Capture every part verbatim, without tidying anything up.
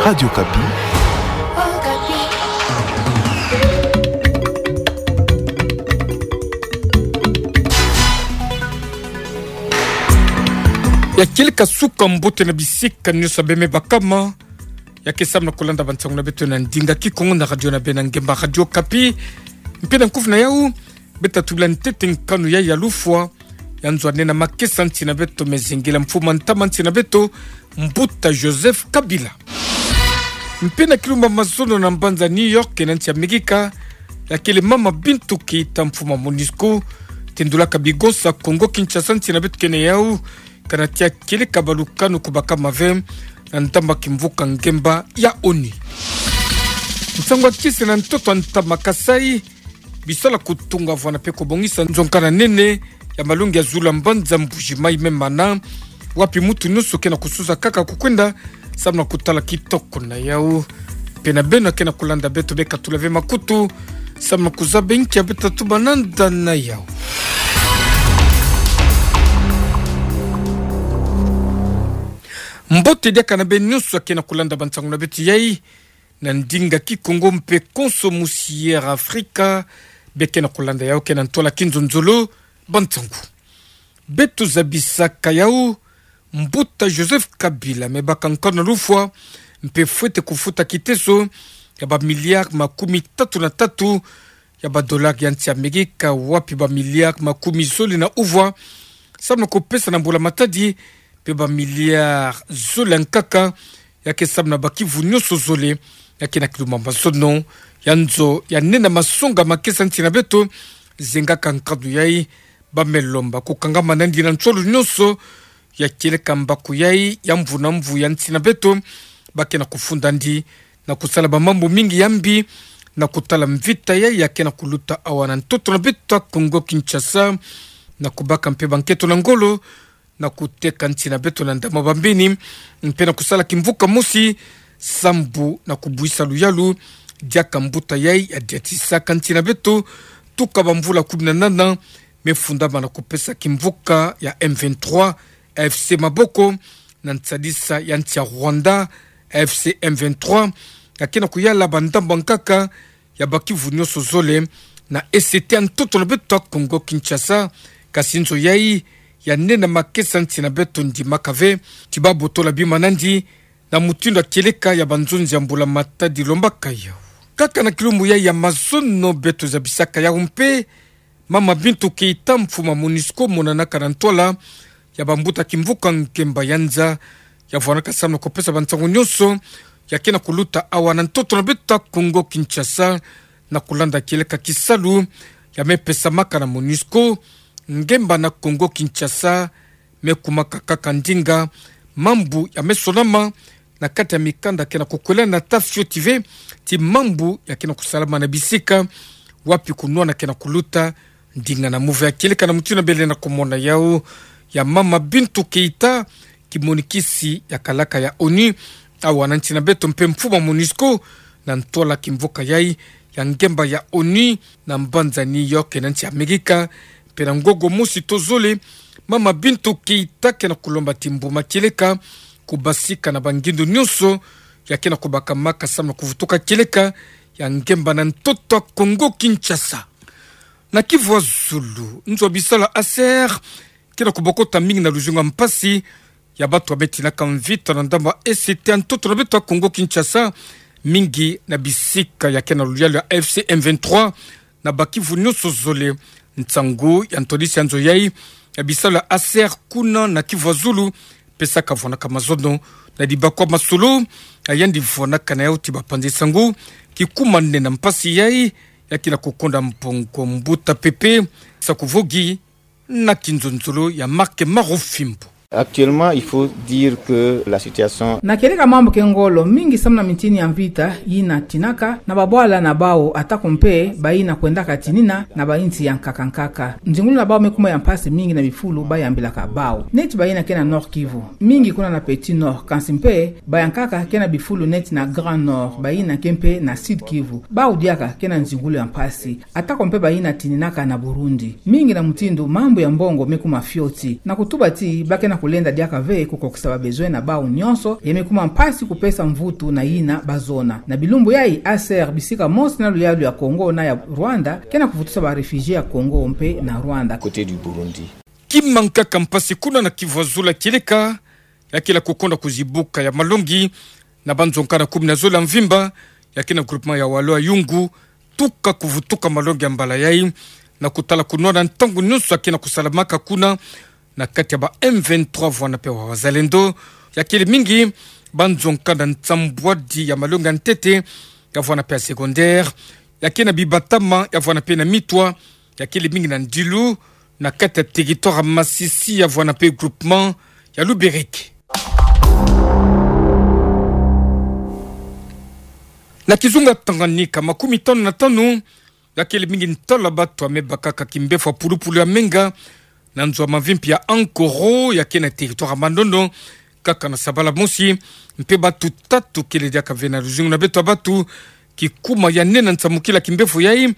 Radio Okapi. Ya kieleka suka mbote na bisika nyonso beme bakama. Ya ke samu na kulanda bansangu na beto na ndinga Kikongo na radio na bena ngemba Radio Okapi. Mpe na nkufi na yau, beta tubila ntete nkanu ya ya lufwa ya nzo anena makesa nsi na beto, me zingila mfumu a ntama nsi na beto, Mbuta Joseph Kabila. Mpe na kilumbu a mazono na mbanza New York na nsi Amerika, ya kele Mama Bintou Keita, mfumu a MONUSCO, tendulaka bigonsa Kongo Kinshasa nsi na beto kena yau, kana tia kieleka balukanu ku bakama ve na ndamba kimvuka ngemba ya ONU. Nsangu a kisi na ntoto a ntama Kasaï, biso la kutunga vwana mpe kubongisa nzonga na nene ya malongi ya zulu a mbanza Mbuji-Mayi me mana, wapi mutu nyonso kena kususa kaka kukwenda samu na kutala kitoko na yau. Mpe na beno kena kulanda beto, bekatula ve makutu samu na kuzaba inki ya beta tuba nanda na yau. Mbote diaka na beno nyonso kena kulanda bansangu na beto yai na ndinga Kikongo mpe konso musi Air Afrika, be kena kulanda yau kena ntwala kinzonzolo. Bansangu. Beto zabisaka yau, Mbuta Joseph Kabila me baka nkanu na lufwa, mpe fwete kufuta kiteso ya ba milliards makumi tatu na tatu ya ba dollars ya nsi Amerika, wapi ba milliards makumi zole na uvwa samu na kupesa na mbula matadi, mpe ba milliards zole ya nkaka ya ke samu na bakivu nyonso zole ya ke na kilumbu a mazono ya nzo ya nena masonga makesa nsi na beto. Zengaka nkanu yai, ba me lomba kukangama nandi na nsolo nyonso ya kieleka mbaku yai ya mvu na mvu ya nsi na beto, ba kena kufunda ndi na kusala bamambu mingi ya mbi, na kutala mvita yai ya kena kuluta awa na ntoto na beto ya Kongo Kinshasa, na kubaka mpe bankento na ngolo, na kuteka nsi na beto na ndama bambini, mpe na kusala kimvuka mosi sambu na kubuisa luyalu diaka mbuta yai ya diatisaka nsi na beto tuka bamvula kumi na nana, me fundama na kupesa kimvuka ya M vingt-trois A F C maboko, na nsadisa ya nsi ya Rwanda, A F C M vingt-trois ya kena kuyala bandambu ya nkaka ya bakivu nyonso zole na E C T ya ntoto na beto ya Kongo Kinshasa. Kasi nzo yai ya nena makesa nsi na beto ndimaka ve ti ba botola bima nandi na mutindu ya kieleka ya banzonzi ya mbula matadi lombaka yau. Kaka na kilumbu yai ya mazono beto zabisaka yau mpe, Mama Bintou Keita, mfumu a MONUSCO, monanaka na ntwala ya bambuta kimvuka ngemba ya nza, ya vwanaka samu na kupesa bansangu nyonso ya kena kuluta awa na ntoto na beto ya Kongo Kinshasa, na kulanda kieleka kisalu ya me pesamaka na MONUSCO ngemba na Kongo Kinshasa, me kumaka kaka ndinga mambu ya me sonama na kati ya mikanda kena kukwelana ata fioti ve ti mambu ya kena kusalama na bisika wapi kunwana kena kuluta ndinga na muve ya kieleka. Na mutindu bele na kumona yau ya Mama Bintou Keita, kimonikisi ya kalaka ya ONU awa na nsi na beto mpe mfumu a MONUSCO na ntwala kimvuka yai ya ngemba ya ONU na mbanza New York na nsi Amerika, mpe na ngongo mosi to zole, Mama Bintou Keita kena kulomba ti mbuma kieleka kubasika na bangindu nyonso ya kena kubakamaka samu na kuvutuka kieleka ya ngemba na ntoto ya Kongo Kinshasa. Na Kivu ya Zulu, nzo ya bisalu ya ASER kena kubokota mingi na luzingu ya mpasi ya bato ya me tinaka mvita na ndambu ya E C T ya ntoto na beto ya Kongo Kinshasa, mingi na bisika ya kena luyalu ya A F C M vingt-trois na bakivu nyonso zole. Nsangu ya ntwadisi ya nzo yai ya bisalu ya ASER kuna na Kivu ya Zulu pesaka vwanaka mazono na dibakwa masolo ya yandi vwanaka na yau ti bapanzi nsangu kikumanene na mpasi yai ya kena kukonda mbongo. Mbuta Pepe Sakuvogi na kinzonzolo ya Marc Marufimbo. Actuellement, il faut dire que la situation... Na kieleka mambu ke ngolo mingi samu na mintini ya mvita yina tinaka na babwala na bau, atako mpe bayina kwendaka tinina na bainsi ya nkaka nkaka. Nzingulu na bau me kuma ya mpasi mingi na bifulu bayambilaka bau. Neti bayina ke na Nord-Kivu, mingi kuna na Petit-Nord, kansi mpe bayankaka ke na bifulu neti na Grand-Nord, bayina ke mpe na Sud-Kivu, bau diaka ke na nzingulu ya mpasi. Atako mpe bayina tininaka na Burundi. Mingi na mutindu mambu ya mbongo me kuma fioti. Na kutuba ti ba kena Kulenda diaka ve kukokisa ba besoin na bau nyonso, ya me kuma mpasi kupesa mvutu na yina bazona. Na bilumbu yayi, A C R bisika mosi na luyalu ya Congo na ya Rwanda, ke na kuvutusa ba réfugiés ya Congo mpe na Rwanda. Côté du Burundi. Kima nkaka mpasi kuna na Kivu ya Zulu kieleka, ya kele kukonda kuzibuka ya malongi, na banzonkana kumi na zole ya mvimba, ya ke na groupement ya Walu ya Yungu, tuka kuvutuka malongi ya mbala yayi, na kutala kunwana ntangu nyonso ya ke na kusalamaka kuna, na kati ya ba M vingt-trois vwanda mpe wa Wazalendo, ya kele mingi banzonkana nsambwadi ya malongi ya ntete, ya vwanda mpe ya secondaire, ya ke na bibatama, ya vwanda mpe na mitwa, ya kele mingi na N'Djili, na kati ya territoire ya Masisi, ya vwanda mpe groupement ya Luberiku. Na kizunga Tanganyika, makumi tanu na tanu, ya kele mingi ntwala batu ya me bakaka kimbevo ya pulupulu ya menga, na nzo ya mavimpi ya Ankoro, ya ke na territoire ya Manono, kaka na sabala mosi, mpe batu tatu kele diaka ve na luzingu na beto ya batu, kikuma ya nene na nsamukila kimbevo yayi,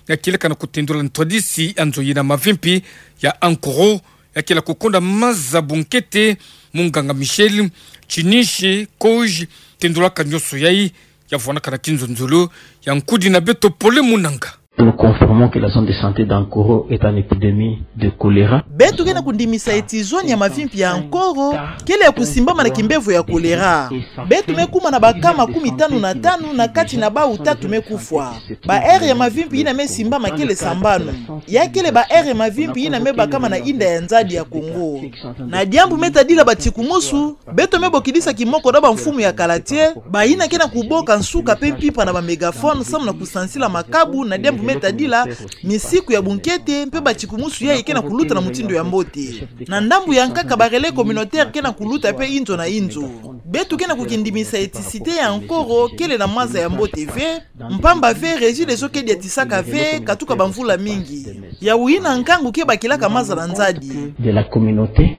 ya kieleka na kutendula ntwadisi ya nzo yina mavimpi ya Ankoro, ya kele kukonda maza bunkete, munganga Michel Chiniche Koge, tendulaka nyonso yayi, ya vwandaka na kinzonzolo ya nkudi na beto Pole Munanga. Nous confirmons que la zone de santé d'Ankoro est en épidémie de choléra. Beto ke na kundimisa eti zone ya mavimpi ya Ankoro kele ya kusimbama na kimbevo ya choléra. Beto me kuma na ba cas makumi tanu na tanu, na kati na bau tatu me kufwa. Ba aire ya mavimpi yina me simbama kele sambanu. Ya kele ba aire ya mavimpi yina me bakama na inda ya nzadi ya Congo. Na diambu me tadila batikumusu, beto me bokidisa kimoko na bamfumu ya quartier, bayina ke na kuboka nsuka mpe mpimpa na ba mégaphone samu na kusansila makabu na diambu me tadila misiku ya bunkete mpe batikumusu yayi ke na kuluta na mutindu ya mbote. Na ndambu ya nkaka, ba relais communautaire ke na kuluta mpe inzo na inzo. Beto ke na kukindimisa eti cité ya Ankoro kele na maza ya mbote ve, mpamba ve Regideso ke diatisaka ve katuka bamvula mingi. Yawu yina nkangu ke bakilaka maza na nzadi. De la communauté.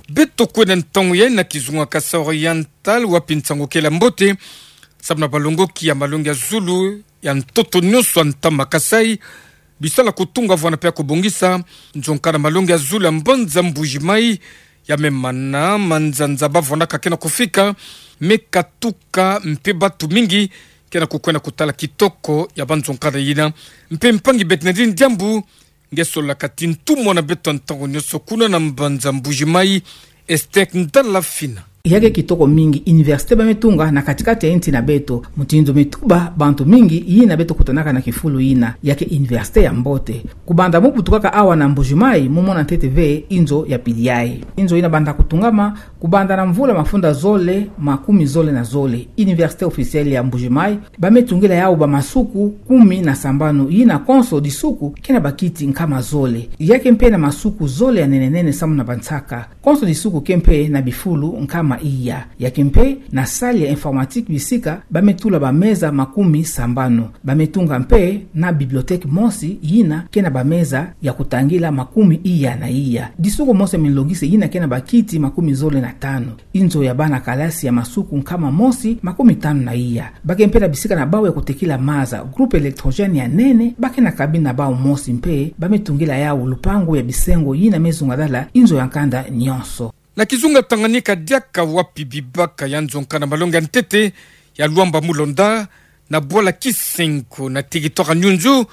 Beto kwenda ntangu yayi na kizunga Kasai Oriental, wapi nsangu kele ya mbote samu na balongoki ya malongi ya zulu ya ntoto nyonso ya ntama Kasai, bisala kutunga vwanda mpe ya kubongisa nzonkana malongi ya zulu ya mbanza Mbuji-Mayi, ya me mana manzanza bavwandaka ke na kufika, me katuka mpe batu mingi ke na kukwenda kutala kitoko ya banzonkana yina. Mpe mpangi Bernardine Diambu, nge sololaka ti ntumwa na beto ntangu nyonso kuna na mbanza Mbuji-Mayi, Esther Ndalafina. Ya ke kitoko mingi université ba me tunga na kati-kati ya insi na beto, mutindu me tuba bantu mingi yina beto kutanaka na kifulu yina, ya ke université ya mbote. Kubanda mu butukaka awa na Mbuji-Mayi, mu mona ntete ve inzo ya pili yayi. Inzo yina banda kutungama, kubanda na mvula mafunda zole makumi zole na zole, Université officielle ya Mbuji-Mayi, ba me tungila yawu bamasuku kumi na sambanu, yina konso disuku ke na bakiti nkama zole. Ya ke mpe na masuku zole ya nene-nene samu na bansaka. Konso disuku ke mpe na bifulu nkama iya. Ya ke mpe na salle ya informatique bisika ba me tula bameza makumi sambanu. Ba me tunga mpe na bibliothèque mosi yina ke na bameza ya kutangila makumi iya na iya. Disuku mosi ya minlongisi yina ke na bakiti makumi zole na tanu. Inzo ya bana kalasi ya masuku nkama mosi makumi tanu na iya. Ba ke mpe na bisika na bawu ya kutekila maza, groupe électrogène ya nene, ba ke na cabine na bawu mosi mpe, ba me tungila yawu lupangu ya bisengo yina me zungadala inzo ya nkanda nyonso. Na kizunga Tanganyika diaka, wapi bibaka ya nzonkana malongi ya ntete ya Luamba Mulonda, na bwala Kisengo na territoire Nyunzu,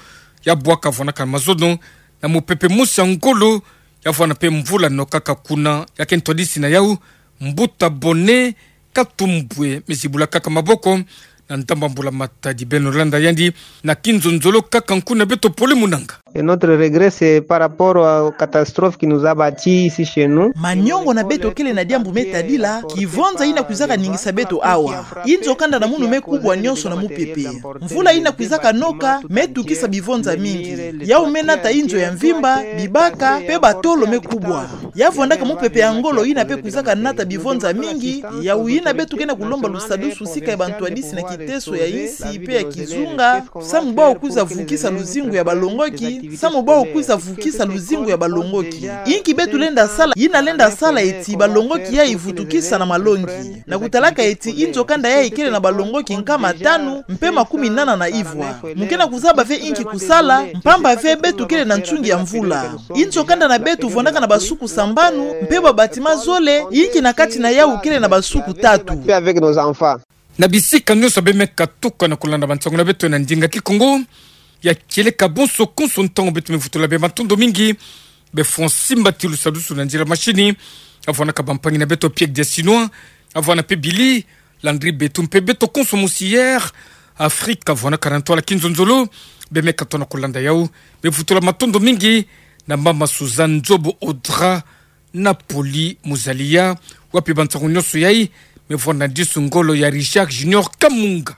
ya bwaka vwandaka na mazono, na mupepe mosi ya ngolo, ya vwanda mpe mvula nokaka kuna, ya ke ntwadisi na yawu, mbuta Bone Katumbwe me zibula kaka maboko, na ndamba mbula Matadi. Beno landa yandi na kinzonzolo kaka nku na beto Pole Munanga. Et notre regret, c'est par rapport aux catastrophes qui nous a battus ici chez nous. Maniongo na beto kele na diambu me tadila kivonza yina kwizaka ningisa beto awa. Inzo kanda na munu me kubwa nyonso na mupepe. Mvula yina kwizaka noka me tukisa bivonza mingi. Yawu me nata inzo ya mvimba, bibaka, mpe batolo me kubwa. Ya vwandaka mupepe ya ngolo yina mpe kwizaka nata bivonza mingi, yawu yina beto ke na kulomba lusadusu sika ya bantwadisi na kiteso ya insi mpe ya kizunga, samu bawu kwiza vukisa luzingu ya balongoki, Samu bwa kwiza vukisa luzingu ya balongoki. Inki beto lenda sala? Yina lenda sala eti balongoki yayi vutukisa na malongi. Na kutalaka eti inzo kanda yayi kele na balongoki nkama tanu mpe makumi nana na ivwa. Mu kena kuzaba ve inki kusala, mpamba ve beto kele na nsungi ya mvula. Inzo kanda na beto vwandaka na basuku sambanu, mpe ba bâtiment zole, inki na kati na yawu kele na basuku tatu. Na bisika nyonso bemeka tuka na kulanda bansangu na beto na ndinga Kikongo, ya kieleka bonso konso ntangu beto me vutula bematondo mingi. Be Francis Mbatilu sadusu na nzila mashini, avwanaka bampangi na beto Pierre Dessinois, avwana mpe Billy Landry Betu mpe beto konso musi Air Afrique avwanaka na ntwala kinzonzolo, bemeka tona kulanda yawu, me vutula matondo mingi na mama Suzanne Nzobo Audra, Napoli Muzalia, wapi bansangu nyonso yayi me vwanda disu ngolo ya Richard Junior Kamunga.